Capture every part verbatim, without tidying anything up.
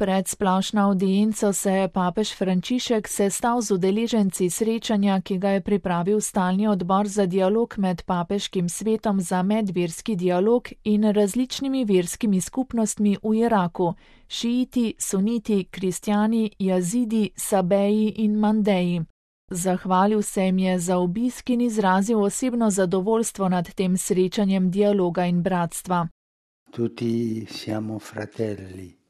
Pred splošno avdienco se je papež Frančišek sestal z udeleženci srečanja, ki ga je pripravil stalni odbor za dialog med papeškim svetom za medverski dialog in različnimi verskimi skupnostmi v Iraku, šiiti, suniti, kristjani, jazidi, sabeji in mandeji. Zahvalil se jim je za obisk in izrazil osebno zadovoljstvo nad tem srečanjem dialoga in bratstva. Tutti siamo fratelli.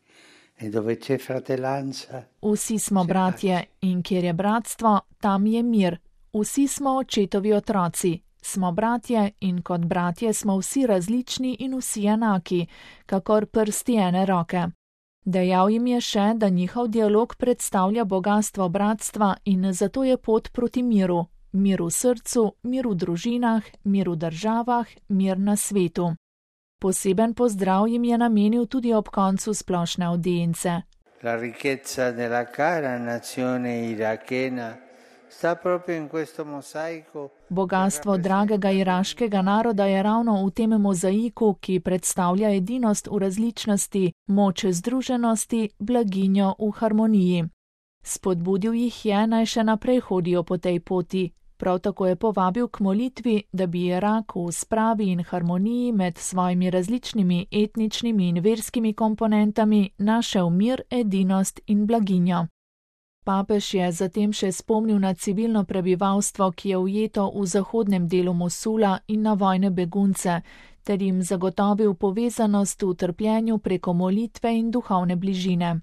E dove c'è fratellanza? Vsi smo bratje in kjer je bratstvo, tam je mir. Vsi smo očetovi otroci. Smo bratje in kot bratje smo vsi različni in vsi enaki, kakor prsti ene roke. Dejal jim je še, da njihov dialog predstavlja bogastvo bratstva in zato je pot proti miru. Mir v srcu, mir v družinah, mir v državah, mir na svetu. Poseben pozdrav jim je namenil tudi ob koncu splošne avdience. La ricchezza della cara nazione irachena sta proprio in questo mosaico. Bogastvo dragega iraškega naroda je ravno v tem mozaiku, ki predstavlja edinost v različnosti, moč združenosti, blaginjo v harmoniji. Spodbudil jih je, naj še naprej hodijo po tej poti. Prav tako je povabil k molitvi, da bi Irak v spravi in harmoniji med svojimi različnimi etničnimi in verskimi komponentami našel mir, edinost in blaginjo. Papež je zatem še spomnil na civilno prebivalstvo, ki je ujeto v zahodnem delu Mosula in na vojne begunce, ter jim zagotovil povezanost v trpljenju preko molitve in duhovne bližine.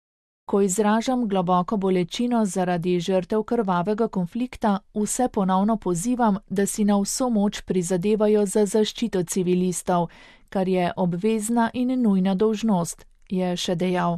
Ko izražam globoko bolečino zaradi žrtev krvavega konflikta, vse ponovno pozivam, da si na vso moč prizadevajo za zaščito civilistov, kar je obvezna in nujna dolžnost, je še dejal.